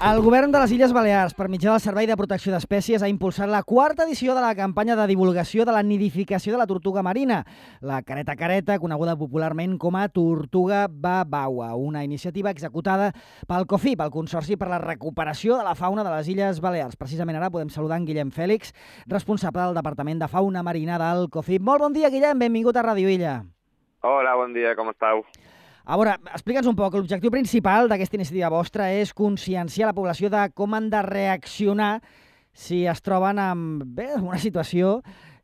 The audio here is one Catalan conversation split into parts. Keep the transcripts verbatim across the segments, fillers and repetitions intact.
El govern de les Illes Balears, per mitjà del Servei de Protecció d'Espècies, ha impulsat la quarta edició de la campanya de divulgació de la nidificació de la tortuga marina, la careta careta, coneguda popularment com a tortuga babaua, una iniciativa executada pel COFIP, el Consorci per la Recuperació de la Fauna de les Illes Balears. Precisament ara podem saludar en Guillem Fèlix, responsable del Departament de Fauna Marina del COFIP. Molt bon dia, Guillem, benvingut a Ràdio Illa. Hola, bon dia, com estàu? A veure, explica'ns un poc. L'objectiu principal d'aquesta iniciativa vostra és conscienciar la població de com han de reaccionar si es troben en bé, una situació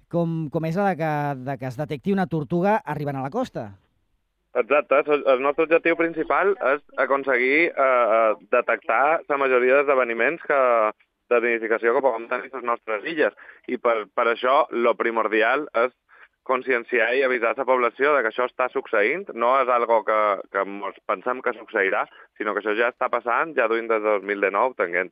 com, com és la de que, de que es detecti una tortuga arribant a la costa. Exacte. El nostre objectiu principal és aconseguir eh, detectar la majoria d'esdeveniments que, de nidificació que puguem tenir a les nostres illes. I per, per això, lo primordial és conscienciar i avisar la població de que això està succeint. No és algo que, que pensem que succeirà, sinó que això ja està passant, ja duim des de dos mil dinou, tenint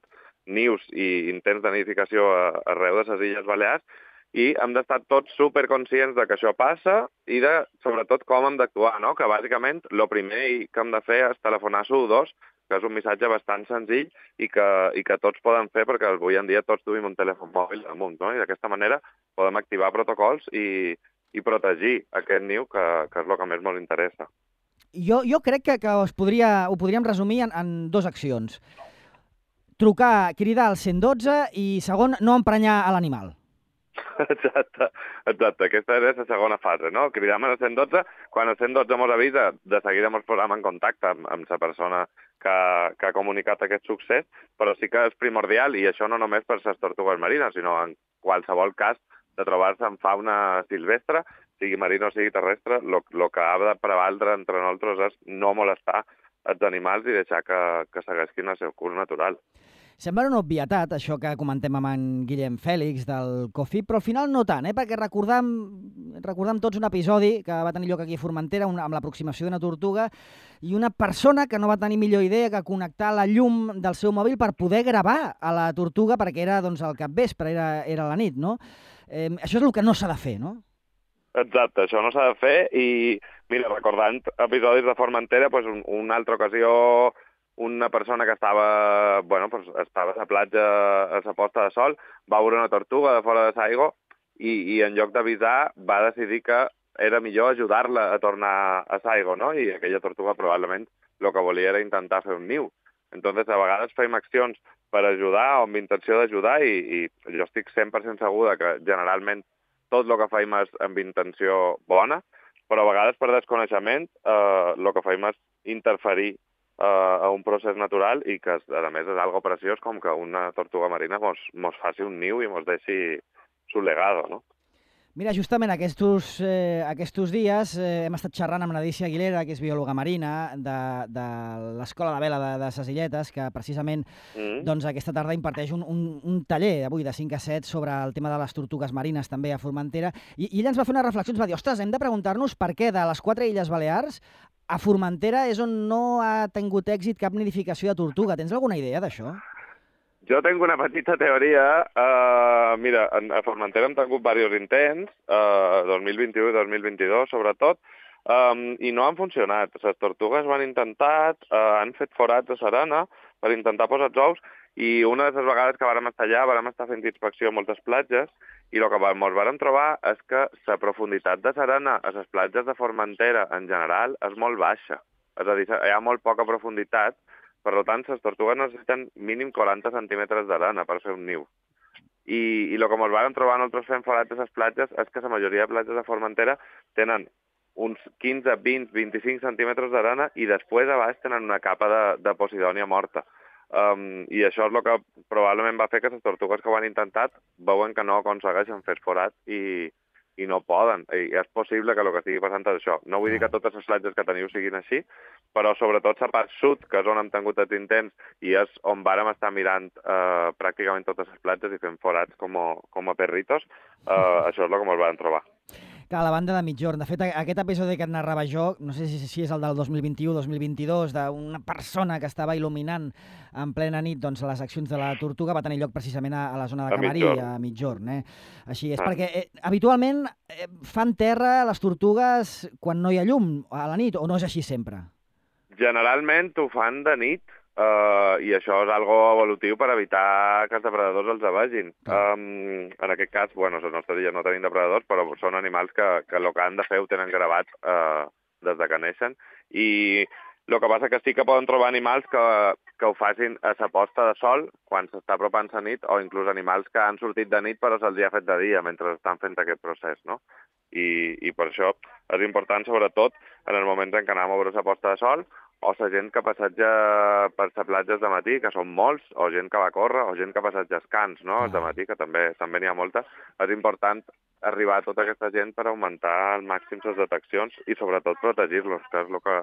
nius i intents de nidificació arreu de les Illes Balears, i hem d'estar tots superconscients de que això passa i de, sobretot, com hem d'actuar, no? Que bàsicament el primer que hem de fer és telefonar a U dos, que és un missatge bastant senzill i que, i que tots poden fer perquè avui en dia tots duim un telèfon mòbil damunt, no? I d'aquesta manera podem activar protocols i i protegir aquest niu, que, que és el que més ens interessa. Jo, jo crec que, que es podria, ho podríem resumir en, en dues accions. Trucar, cridar al cent dotze i, segon, no emprenyar a l'animal. Exacte, exacte. Aquesta és la segona fase, no? Cridam al cent dotze, quan el cent dotze ens avisa, de seguida ens posem en contacte amb, amb la persona que, que ha comunicat aquest succés, però sí que és primordial, i això no només per les tortugues marines, sinó en qualsevol cas de trobar-se en fauna silvestre, sigui marina o sigui terrestre, el que ha de prevaldre entre nosaltres és no molestar els animals i deixar que, que segueixin el seu curs natural. Sembla una obvietat, això que comentem amb en Guillem Fèlix del COFIP, però al final no tant, eh? Perquè recordam, recordam tots un episodi que va tenir lloc aquí a Formentera una, amb l'aproximació d'una tortuga i una persona que no va tenir millor idea que connectar la llum del seu mòbil per poder gravar a la tortuga perquè era doncs, al capvespre, era, era la nit, no? Eh, això és el que no s'ha de fer, no? Exacte, això no s'ha de fer i, mira, recordant episodis de Formentera, pues, un, una altra ocasió, una persona que estava, bueno, pues, estava a la platja a la posta de sol, va veure una tortuga de fora de l'aigua i, i en lloc d'avisar va decidir que era millor ajudar-la a tornar a l'aigua, no? I aquella tortuga probablement el que volia era intentar fer un niu. Entonces, a vegades fem accions per ajudar o amb intenció d'ajudar i, i jo estic cent per cent segur que generalment tot el que fem és amb intenció bona, però a vegades per desconeixement eh, el que fem és interferir eh, a un procés natural i que, a més, és algo preciós com que una tortuga marina mos, mos faci un niu i mos deixi su legado, no? Mira, justament aquests, eh, aquests dies eh, hem estat xerrant amb Nadícia Aguilera, que és biòloga marina de, de l'Escola de Vela de, de Ses Illetes, que precisament mm. doncs, aquesta tarda imparteix un, un, un taller avui de cinc a set sobre el tema de les tortugues marines també a Formentera, i, i ella ens va fer una reflexió, ens va dir, ostres, hem de preguntar-nos per què de les quatre Illes Balears a Formentera és on no ha tingut èxit cap nidificació de tortuga. Tens alguna idea d'això? Jo tinc una petita teoria. Uh, mira, a Formentera hem tingut diversos intents, uh, dos mil vint-i-u i dos mil vint-i-dos, sobretot, um, i no han funcionat. Les tortugues ho han intentat, uh, han fet forats a l'arena per intentar posar els ous, i una de les vegades que vàrem estar allà, vàrem estar fent inspecció a moltes platges, i el que ens vàrem trobar és que la profunditat de l'arena a les platges de Formentera en general és molt baixa. És a dir, hi ha molt poca profunditat. Per tant, les tortugues necessiten mínim quaranta centímetres d'arena per fer un niu. I, i el que ens vam trobar nosaltres fent forats a les platges és que la majoria de platges de Formentera tenen uns quinze, vint, vint-i-cinc centímetres d'arena i després a baix tenen una capa de, de posidònia morta. Um, I això és el que probablement va fer que les tortugues que ho han intentat veuen que no aconsegueixen fer forat i, i no poden. I és possible que el que estigui passant és això. No vull dir que totes les platges que teniu siguin així, però sobretot la part sud, que és on hem tingut els intents i és on vàrem estar mirant eh, pràcticament totes les platges i fent forats com a, com a perritos, eh, això és el que ens vam trobar. Que a la banda de Migjorn. De fet, aquest episodi que et narrava jo, no sé si, si és el del dos mil vint-i-u dos mil vint-i-dos, d'una persona que estava il·luminant en plena nit doncs, les accions de la tortuga, va tenir lloc precisament a, a la zona de Camarí, a Migjorn. Eh? Així és, ah. perquè eh, habitualment eh, fan terra les tortugues quan no hi ha llum, a la nit, o no és així sempre? Generalment ho fan de nit, Uh, i això és algo evolutiu per evitar que els depredadors els vegin. Um, en aquest cas, bueno, les nostres illes no tenim depredadors, però són animals que, que el que han de fer ho tenen gravat uh, des de que neixen. I el que passa que sí que poden trobar animals que, que ho facin a la posta de sol, quan s'està apropant la nit, o inclús animals que han sortit de nit però se'ls ha fet de dia mentre estan fent aquest procés, no? I, i per això és important, sobretot, en els moments en què anem a veure la posta de sol, o la gent que passeja per les platges de matí, que són molts, o gent que va a córrer, o gent que passeja els cants, no?, de matí, que també també n'hi ha molta. És important arribar a tota aquesta gent per augmentar al màxim les deteccions i, sobretot, protegir-los, que és el que,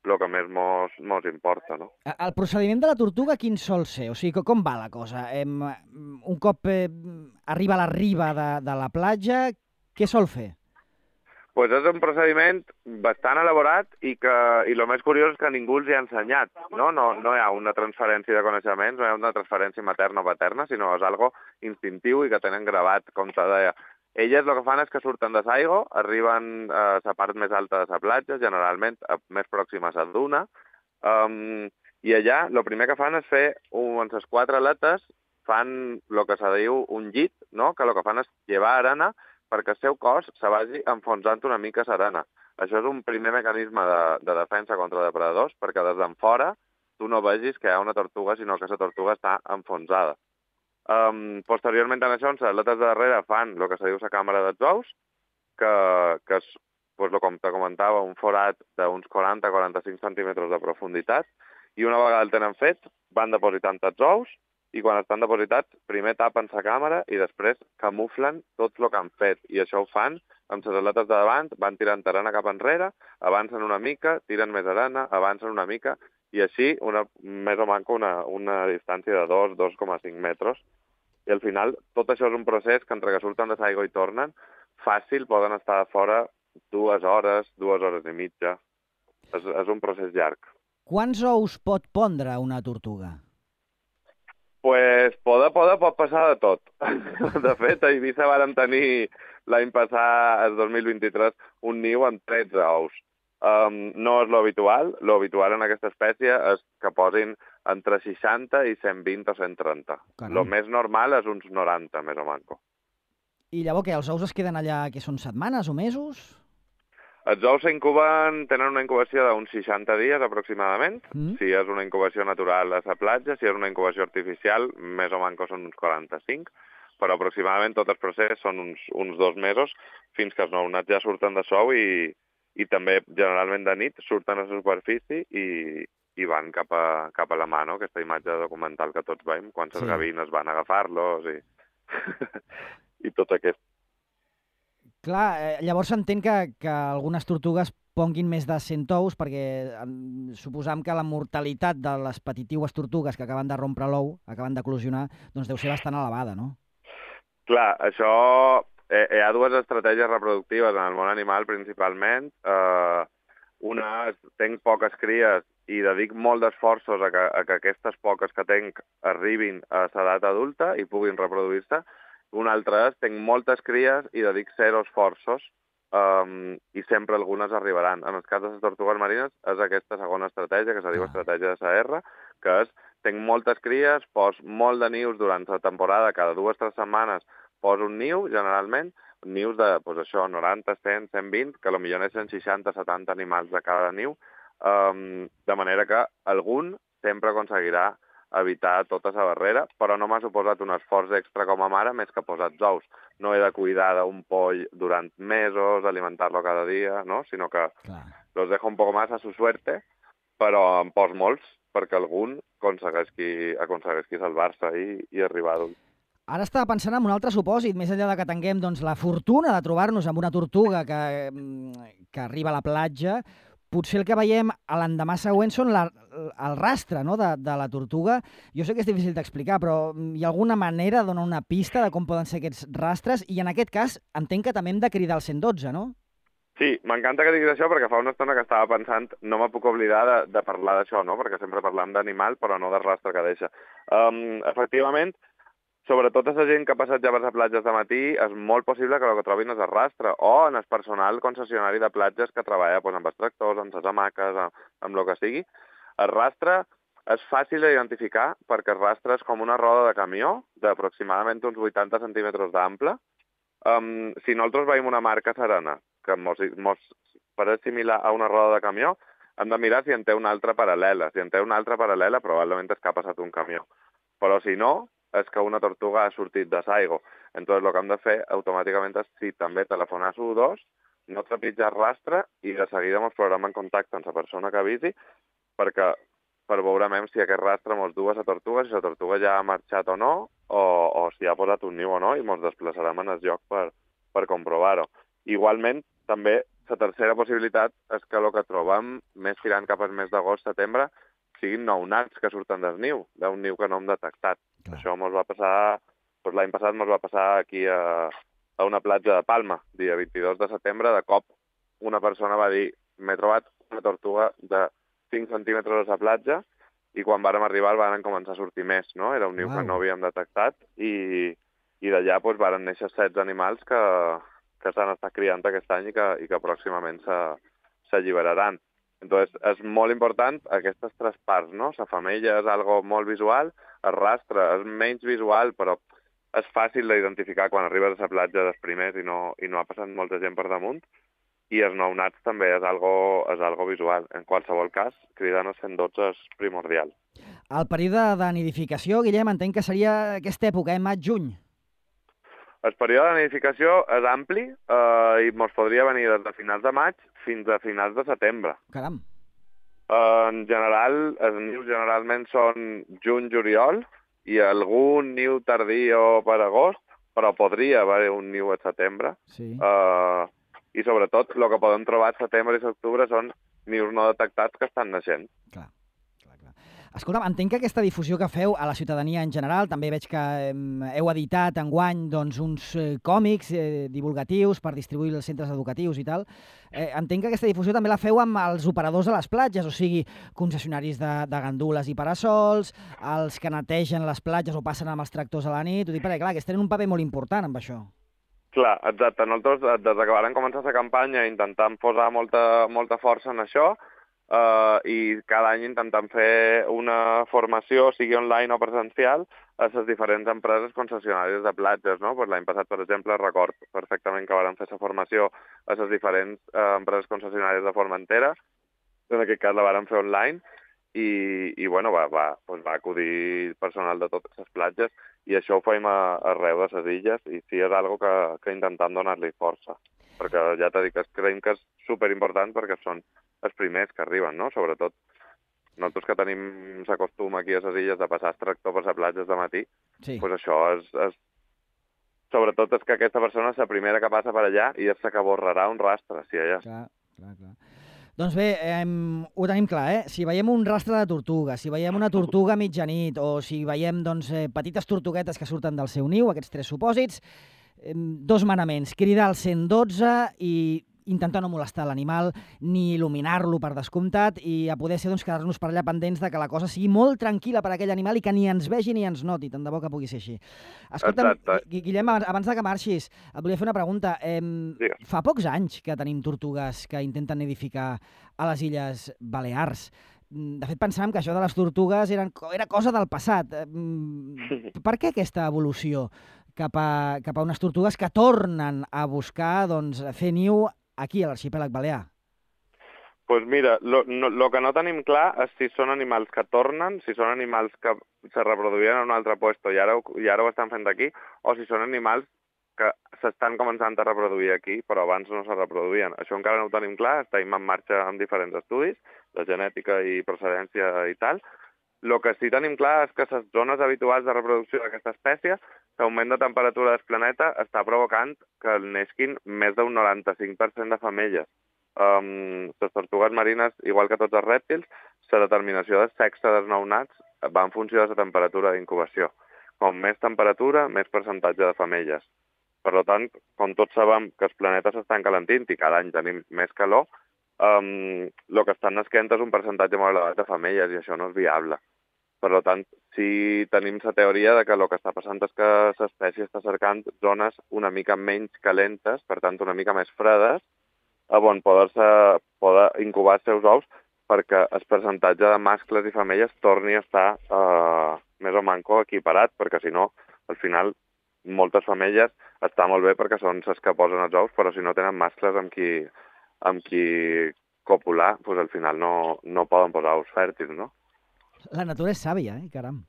el que més mos, mos importa, no? El procediment de la tortuga quin sol ser? O sigui, com va la cosa? Em, un cop eh, arriba a la riba de, de la platja, què sol fer? Pues és un procediment bastant elaborat i que i el més curiós és que ningú els hi ha ensenyat, no? No, no hi ha una transferència de coneixements, no hi ha una transferència materna o paterna, sinó és algo instintiu i que tenen gravat, com te deia. Elles el que fan és que surten de l'aigua, arriben a la part més alta de la platja, generalment més pròxima a la duna, um, i allà el primer que fan és fer, amb les quatre aletes, fan el que se diu un llit, no? Que el que fan és llevar arena perquè el seu cos se vagi enfonsant una mica a l'arena. Això és un primer mecanisme de, de defensa contra depredadors, perquè des d'en fora tu no vegis que hi ha una tortuga, sinó que la tortuga està enfonsada. Um, posteriorment a això, les aletes de darrere fan el que se diu la càmera dels ous, que, que és, pues, com te comentava, un forat d'uns quaranta a quaranta-cinc centímetres de profunditat, i una vegada el tenen fet, van depositant els ous, i quan estan depositats, primer tapen la càmera i després camuflen tot el que han fet. I això ho fan amb les aletes de davant, van tirant arena cap enrere, avancen una mica, tiren més arena, avancen una mica, i així, una, més o manco, una, una distància de dos, dos coma cinc metres. I al final, tot això és un procés que entre que surten de l'aigua i tornen, fàcil poden estar a fora dues hores, dues hores i mitja. És, és un procés llarg. Quants ous pot pondre una tortuga? Pues poder, poder, pot passar de tot. De fet, a Eivissa vàrem tenir l'any passat, el dos mil vint-i-tres, un niu amb tretze ous. Um, no és l'habitual. L'habitual en aquesta espècie és que posin entre seixanta i cent vint o cent trenta. El més normal és uns noranta, més o manco. I llavors què, els ous es queden allà, que són setmanes o mesos? Els ous s'incuben, tenen una incubació d'uns seixanta dies aproximadament, mm. si és una incubació natural a la platja, si és una incubació artificial, més o manco són uns quaranta-cinc, però aproximadament tot el procés són uns, uns dos mesos, fins que els nounats ja surten de sou i, i també generalment de nit surten a la superfície i, i van cap a, cap a la mà, no? Aquesta imatge documental que tots veiem, quan les sí. gavines van a agafar-los i, i tot aquest. Clar, eh, llavors s'entén que, que algunes tortugues ponguin més de cent ous, perquè eh, suposam que la mortalitat de les petitiues tortugues que acaben de rompre l'ou, acaben d'eclosionar, doncs deu ser bastant elevada, no? Clar, això... Eh, hi ha dues estratègies reproductives en el món animal, principalment. Eh, una és, tenc poques cries i dedic molt d'esforços a, que, a que aquestes poques que tenc arribin a l'edat adulta i puguin reproduir-se. Un altre és, tenc moltes cries i dedic zero esforços um, i sempre algunes arribaran. En el cas de les tortugues marines és aquesta segona estratègia, que se diu estratègia de S R, que és, tenc moltes cries, pos molt de nius durant la temporada, cada dues o tres setmanes poso un niu, generalment, nius de, pues això, noranta, cent, cent vint, que potser neixen seixanta, setanta animals de cada niu, um, de manera que algun sempre aconseguirà evitar tota la barrera, però no m'ha suposat un esforç extra com a mare més que posar els ous. No he de cuidar d'un poll durant mesos, alimentar-lo cada dia, no? Sinó que Clar. los dejo un poco más a su suerte, però en pos molts perquè algun aconsegueixi, aconsegueixi salvar-se i, i arribar a adult. Ara estava pensant en un altre supòsit, més enllà de que tinguem doncs, la fortuna de trobar-nos amb una tortuga que, que arriba a la platja, potser el que veiem a l'endemà següent són la, el rastre, no?, de, de la tortuga. Jo sé que és difícil d'explicar, però hi ha alguna manera de donar una pista de com poden ser aquests rastres? I en aquest cas entenc que també hem de cridar al cent dotze, no? Sí, m'encanta que diguis això perquè fa una estona que estava pensant, no me puc oblidar de, de parlar d'això, no?, perquè sempre parlam d'animal però no del rastre que deixa. Um, efectivament, sobretot a la gent que ha passat ja per les platges de matí, és molt possible que el que trobin és el rastre, o en el personal concessionari de platges que treballa doncs, amb els tractors, amb les hamaques, amb, amb el que sigui. El rastre és fàcil d'identificar perquè el rastre és com una roda de camió d'aproximadament uns vuitanta centímetres d'ample. Um, si nosaltres veiem una marca serena que mos, mos pareix similar a una roda de camió, hem de mirar si en té una altra paral·lela. Si en té una altra paral·lela, probablement és que ha passat un camió. Però si no, és que una tortuga ha sortit de Saigo. Entonces, el que hem de fer automàticament és, si també telefonar a S U dos, no trepitjar el rastre i de seguida ens posarem en contacte amb la persona que avisi perquè per veurem si aquest rastre ens du a la tortuga, si la tortuga ja ha marxat o no, o, o si ha posat un niu o no, i ens desplaçarem en el lloc per, per comprovar-ho. Igualment, també, la tercera possibilitat és que el que trobem més tirant cap al mes d'agost-setembre siguin nounats que surten del niu, d'un niu que no hem detectat. Clar. Això ens va passar, doncs l'any passat ens va passar aquí a, a una platja de Palma, dia vint-i-dos de setembre, de cop una persona va dir m'he trobat una tortuga de cinc centímetres a la platja i quan vàrem arribar van començar a sortir més, no? Era un niu wow. que no havíem detectat i, i d'allà doncs, van néixer setze animals que, que s'han estat criant aquest any i que, i que pròximament s'alliberaran. Entonces, és molt important aquestes tres parts, no? La femella és algo molt visual, el rastre és menys visual, però és fàcil d'identificar quan arribes a la platja dels primers i no, i no ha passat molta gent per damunt, i els nounats també és algo, és algo visual. En qualsevol cas, cridant el cent dotze és primordial. El període de nidificació, Guillem, entenc que seria aquesta època, eh? Maig-juny. El període de nidificació és ampli eh, i ens podria venir des de finals de maig fins a finals de setembre. Caram. Eh, en general, els nius generalment són juny-juliol i algun niu tardí o per agost, però podria haver un niu a setembre. Sí. Eh, I sobretot el que podem trobar a setembre i octubre són nius no detectats que estan naixent. Clar. Escolta'm, entenc que aquesta difusió que feu a la ciutadania en general, també veig que heu editat enguany doncs, uns eh, còmics eh, divulgatius per distribuir als centres educatius i tal. Eh, entenc que aquesta difusió també la feu amb els operadors a les platges, o sigui, concessionaris de, de gandules i parasols, els que netegen les platges o passen amb els tractors a la nit, ho dic perquè, clar, que tenen un paper molt important amb això. Clar, exacte. Nosaltres, des que vam començar la campanya, intentam posar molta, molta força en això, Uh, i cada any intentem fer una formació, sigui online o presencial, a les diferents empreses concessionàries de platges, no? Pues l'any passat, per exemple, record perfectament que vam fer la formació a les diferents uh, empreses concessionàries de Formentera, en aquest cas la vam fer online, i, i bueno, va, va, pues va acudir personal de totes les platges, i això ho fem a, arreu de les illes, i sí, és una cosa que, que intentem donar-li força, perquè ja t'he dit que creiem que és superimportant perquè són els primers que arriben, no? Sobretot nosaltres que tenim l'acostum aquí a les illes de passar el tractor per les platges de matí, sí. Pues això és, és... Sobretot és que aquesta persona és la primera que passa per allà i és la que borrarà un rastre, si allà. Clar, clar, clar. Doncs bé, eh, ho tenim clar, eh? Si veiem un rastre de tortuga, si veiem una tortuga a mitjanit o si veiem doncs, eh, petites tortuguetes que surten del seu niu, aquests tres supòsits, eh, dos manaments, cridar al cent dotze i intentar no molestar l'animal, ni il·luminar-lo per descomptat, i a poder ser doncs, quedar-nos per allà pendents de que la cosa sigui molt tranquil·la per a aquell animal i que ni ens vegi ni ens noti, tant de bo que pugui ser així. Escolta'm, Guillem, abans de que marxis, et volia fer una pregunta. Eh, fa pocs anys que tenim tortugues que intenten nidificar a les Illes Balears. De fet, pensàvem que això de les tortugues eren, era cosa del passat. Per què aquesta evolució cap a, cap a unes tortugues que tornen a buscar doncs, fer niu aquí a l'arxipèlag balear? Doncs pues mira, lo, no, lo que no tenim clar és si són animals que tornen, si són animals que se reproduïen en un altre lloc i ara, i ara ho estan fent aquí, o si són animals que s'estan començant a reproduir aquí, però abans no se reproduïen. Això encara no ho tenim clar, estem en marxa amb diferents estudis de genètica i procedència i tal. El que sí tenim clar és que les zones habituals de reproducció d'aquesta espècie, l'augment de temperatura del planeta està provocant que neixin més d'un noranta-cinc per cent de femelles. Um, les tortugues marines, igual que tots els rèptils, la determinació del sexe dels nounats va en funció de la temperatura d'incubació. Com més temperatura, més percentatge de femelles. Per tant, com tots sabem que els planetes s'estan calentint i cada any tenim més calor, um, el que estan nasquent és un percentatge molt elevat de femelles i això no és viable. Per tant, sí tenim la teoria de que el que està passant és que l'espècie està cercant zones una mica menys calentes, per tant una mica més fredes, on poder-se poder incubar els seus ous perquè el percentatge de mascles i femelles torni a estar eh, més o manco equiparat, perquè si no, al final, moltes femelles està molt bé perquè són les que posen els ous, però si no tenen mascles amb qui, amb qui copular, doncs al final no, no poden posar ous fèrtils, no? La natura és sàvia, eh, caram.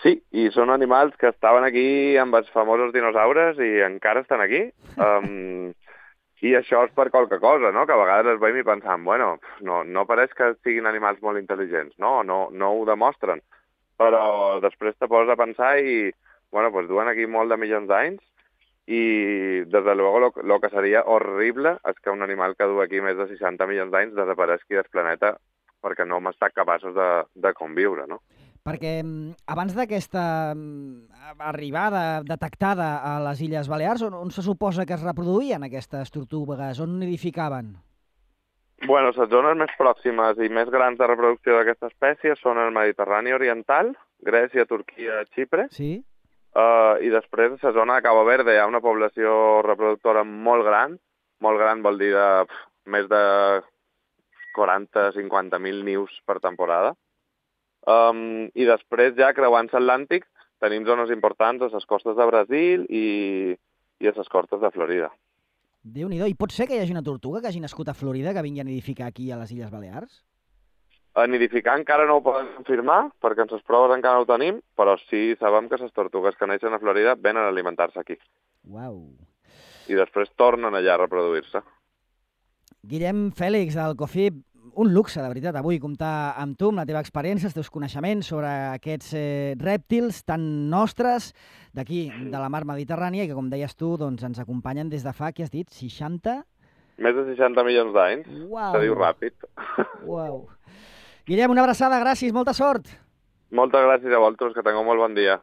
Sí, i són animals que estaven aquí amb els famosos dinosaures i encara estan aquí. Um, I això és per qualque cosa, no? Que a vegades es veiem i pensam, bueno, no, no pareix que siguin animals molt intel·ligents, no? No, no ho demostren. Però després te poses a pensar i, bueno, pues duen aquí molt de milions d'anys i, des de luego, lo, lo que seria horrible és que un animal que du aquí més de seixanta milions d'anys desapareixi del planeta perquè no hem estat capaços de, de conviure, no? Perquè abans d'aquesta arribada detectada a les Illes Balears, on, on se suposa que es reproduïen aquestes tortugues? On nidificaven? Bueno, les zones més pròximes i més grans de reproducció d'aquesta espècie són el Mediterrani Oriental, Grècia, Turquia, Xipre. Sí. Uh, I després, a la zona de Cabo Verde, hi ha una població reproductora molt gran. Molt gran vol dir de pf, més de quaranta a cinquanta mil nius per temporada. Um, I després, ja creuant l'Atlàntic, tenim zones importants a les costes de Brasil i, i a les costes de Florida. Déu-n'hi-do. I pot ser que hi hagi una tortuga que hagi nascut a Florida que vingui a nidificar aquí a les Illes Balears? A nidificar encara no ho podem confirmar, perquè en les proves encara no ho tenim, però sí sabem que les tortugues que neixen a Florida venen a alimentar-se aquí. Uau. I després tornen allà a reproduir-se. Guillem Fèlix, del COFIP, un luxe, de veritat, avui comptar amb tu, amb la teva experiència, els teus coneixements sobre aquests eh, rèptils tan nostres d'aquí, de la mar Mediterrània, i que, com deies tu, doncs, ens acompanyen des de fa, què has dit, seixanta? Més de seixanta milions d'anys. Uau. Se diu ràpid. Uau. Guillem, una abraçada, gràcies, molta sort. Moltes gràcies a vosaltres, que tingueu molt bon dia.